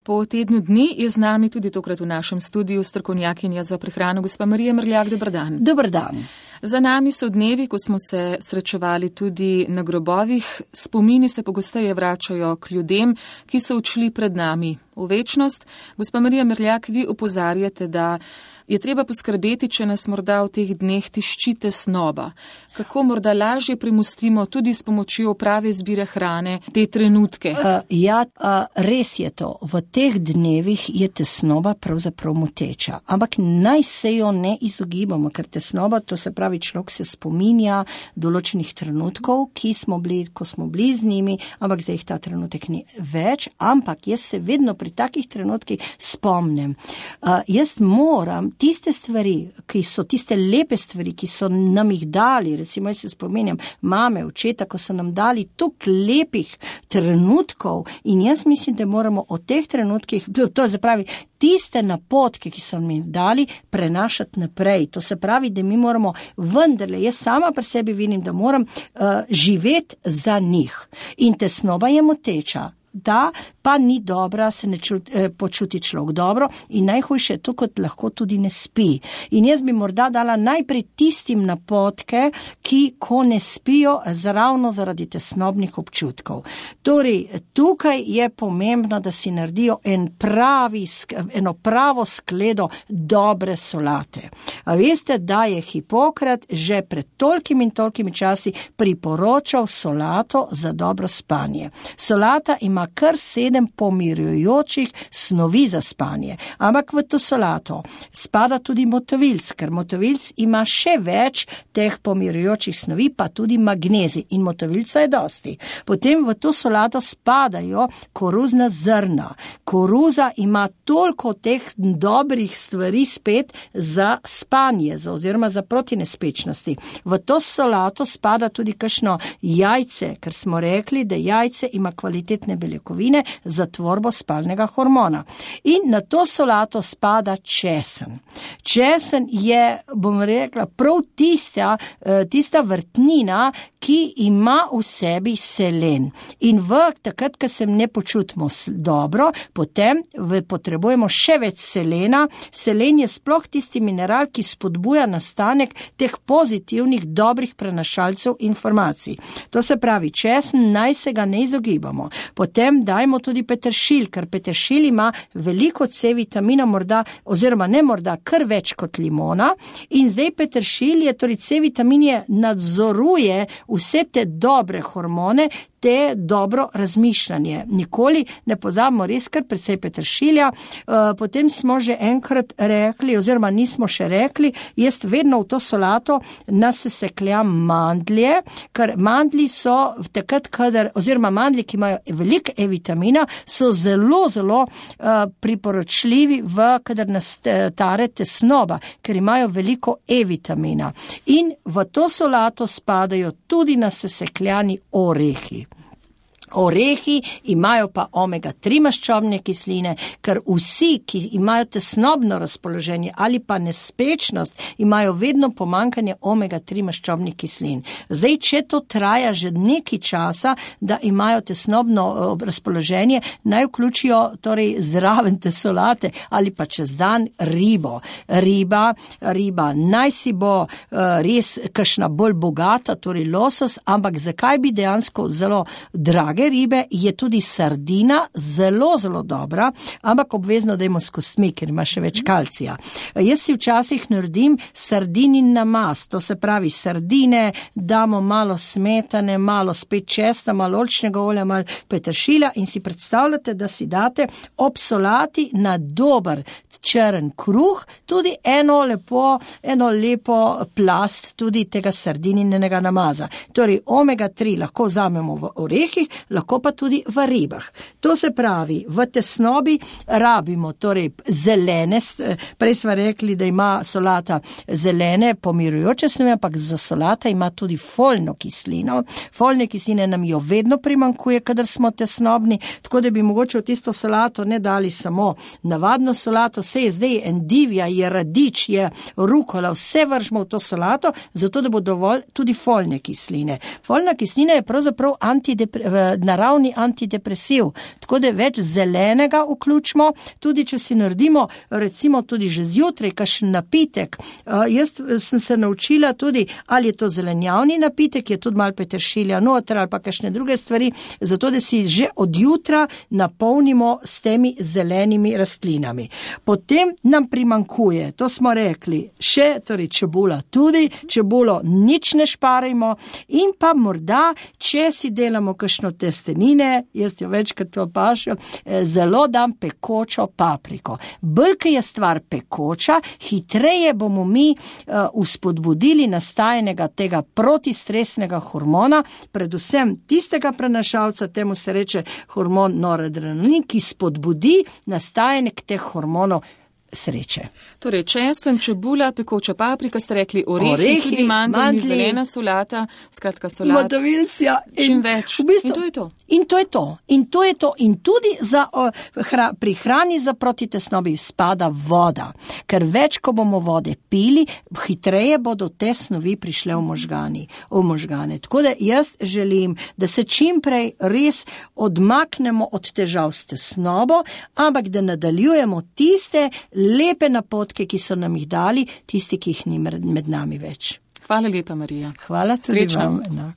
Po tednu dni je z nami tudi tokrat v našem studiu strokovnjakinja za prehrano gospa Marija Mrljak. Dober dan. Dober dan. Za nami so dnevi, ko smo se srečevali tudi na grobovih. Spomini se pogosteje vračajo k ljudem, ki so odšli pred nami v večnost. Gospa Marija Mrljak, vi opozarjate, da je treba poskrbeti, če nas morda v teh dneh tišči tesnoba. Kako morda lažje premustimo tudi s pomočjo prave izbire hrane te trenutke? Res je to. V teh dnevih je tesnoba pravzaprav moteča. Ampak naj se jo ne izogibamo, ker tesnoba, to se pravi, človek se spominja določenih trenutkov, ko smo bili z njimi, ampak zdaj jih ta trenutek ni več. Ampak jaz se vedno pri takih trenutkih spomnim. Jaz moram tiste stvari, ki so tiste lepe stvari, ki so nam jih dali, recimo jaz se spominjam mame, očeta, ko so nam dali toliko lepih trenutkov in jaz mislim, da moramo o teh trenutkih, to se pravi, tiste napotke, ki so nam jih dali, prenašati naprej. To se pravi, da mi moramo vendarle, jaz sama pri sebi vidim, da moram živeti za njih. In tesnoba je moteča. Da, pa ni dobra, se ne počuti človek dobro in najhujše je to, kot lahko tudi ne spi. In jaz bi morda dala najprej tistim napotke, ki ko ne spijo ravno zaradi tesnobnih občutkov. Torej, tukaj je pomembno, da si naredijo eno pravo skledo dobre solate. A veste, da je Hipokrat že pred tolkimi časi priporočal solato za dobro spanje. Solata ima kar 7 pomirjujočih snovi za spanje. Ampak v to solato spada tudi motovilc, ker motovilc ima še več teh pomirjujočih snovi, pa tudi magnezij in motovilca je dosti. Potem v to solato spadajo koruzna zrna. Koruza ima toliko teh dobrih stvari spet za spanje, oziroma za protinespečnosti. V to solato spada tudi kakšno jajce, ker smo rekli, da jajce ima kvalitetne beljakovine za tvorbo spalnega hormona. In na to solato spada česen. Česen je, bom rekla, prav tista vrtnina, ki ima v sebi selen. In takrat, ko se ne počutimo dobro, potem potrebujemo še več selena. Selen je sploh tisti mineral, ki spodbuja nastanek teh pozitivnih, dobrih prenašalcev informacij. To se pravi, česen naj se ga ne izogibamo. Potem dajmo tudi peteršilj, ker peteršilj ima veliko C vitamina, kar več kot limona. In zdaj peteršilj je, torej C vitamin nadzoruje vse te dobre hormone, te dobro razmišljanje. Nikoli ne pozabimo res kar precej peteršilja. Potem smo že enkrat rekli, oziroma nismo še rekli, jaz vedno v to solato nasesekljam mandlje, ker mandlji so takrat, mandlji, ki imajo veliko E-vitamina, so zelo, zelo priporočljivi, kadar nas tare tesnoba, ker imajo veliko E-vitamina. In v to solato spadajo tudi nasesekljani orehi. Orehi imajo pa omega-3 maščobne kisline, ker vsi, ki imajo tesnobno razpoloženje ali pa nespečnost, imajo vedno pomanjkanje omega-3 maščobnih kislin. Zdaj, če to traja že nekaj časa, da imajo tesnobno razpoloženje, naj vključijo torej zraven te solate ali pa čez dan ribo. Riba naj si bo res kakšna bolj bogata, torej losos, ampak zakaj bi dejansko zelo drage ribe, je tudi sardina zelo, zelo dobra, ampak obvezno dajmo s kostmi, ker ima še več kalcija. Jaz si včasih naredim sardinin namaz, to se pravi sardine, damo malo smetane, malo spet česna, malo oljčnega olja, malo peteršilja in si predstavljate, da si date ob solati na dober črn kruh, tudi eno lepo plast tudi tega sardininega namaza. Torej omega-3 lahko vzamemo v orehih, lahko pa tudi v ribah. To se pravi, v tesnobi rabimo torej zelene, prej smo rekli, da ima solata zelene pomirujoče snovi, ampak za solata ima tudi folno kislino. Folne kisline nam jo vedno primanjkuje, kadar smo tesnobni, tako da bi mogoče v tisto solato ne dali samo navadno solato, vse je zdaj endivija, je radič, je rukola, vse vržemo v to solato, zato da bo dovolj tudi folne kisline. Folna kislina je pravzaprav naravni antidepresiv. Tako da več zelenega vključimo, tudi če si naredimo recimo tudi že zjutraj kakšen napitek. Jaz sem se naučila tudi, ali je to zelenjavni napitek, je tudi malo peteršilja noter ali pa kakšne druge stvari, zato da si že od jutra napolnimo s temi zelenimi rastlinami. Potem nam primankuje, to smo rekli, še torej čebula tudi, čebulo nič ne šparajmo in pa morda, če si delamo kakšno testenine, jaz jo večkrat opažam, zelo dam pekočo papriko. Bolj, ko je stvar pekoča, hitreje bomo mi uspodbudili nastajenega tega protistresnega hormona, predvsem tistega prenašalca, temu se reče hormon noradrenalin, ki spodbudi nastajenek teh hormonov sreče. Torej, česen, čebula, pekoča paprika, ste rekli orehi, tudi mandlji, zelena solata, skratka solat. Modavilcija. Čim več. V bistvu, in to je to. In to je to. In to je to. In tudi pri hrani za protitesnobi spada voda. Ker več, ko bomo vode pili, hitreje bodo te snovi prišle v možgane. Tako da jaz želim, da se čim prej res odmaknemo od težav s tesnobo, ampak da nadaljujemo tiste lepe napotke, ki so nam jih dali, tisti, ki jih ni med nami več. Hvala lepa, Marija. Hvala tudi vam.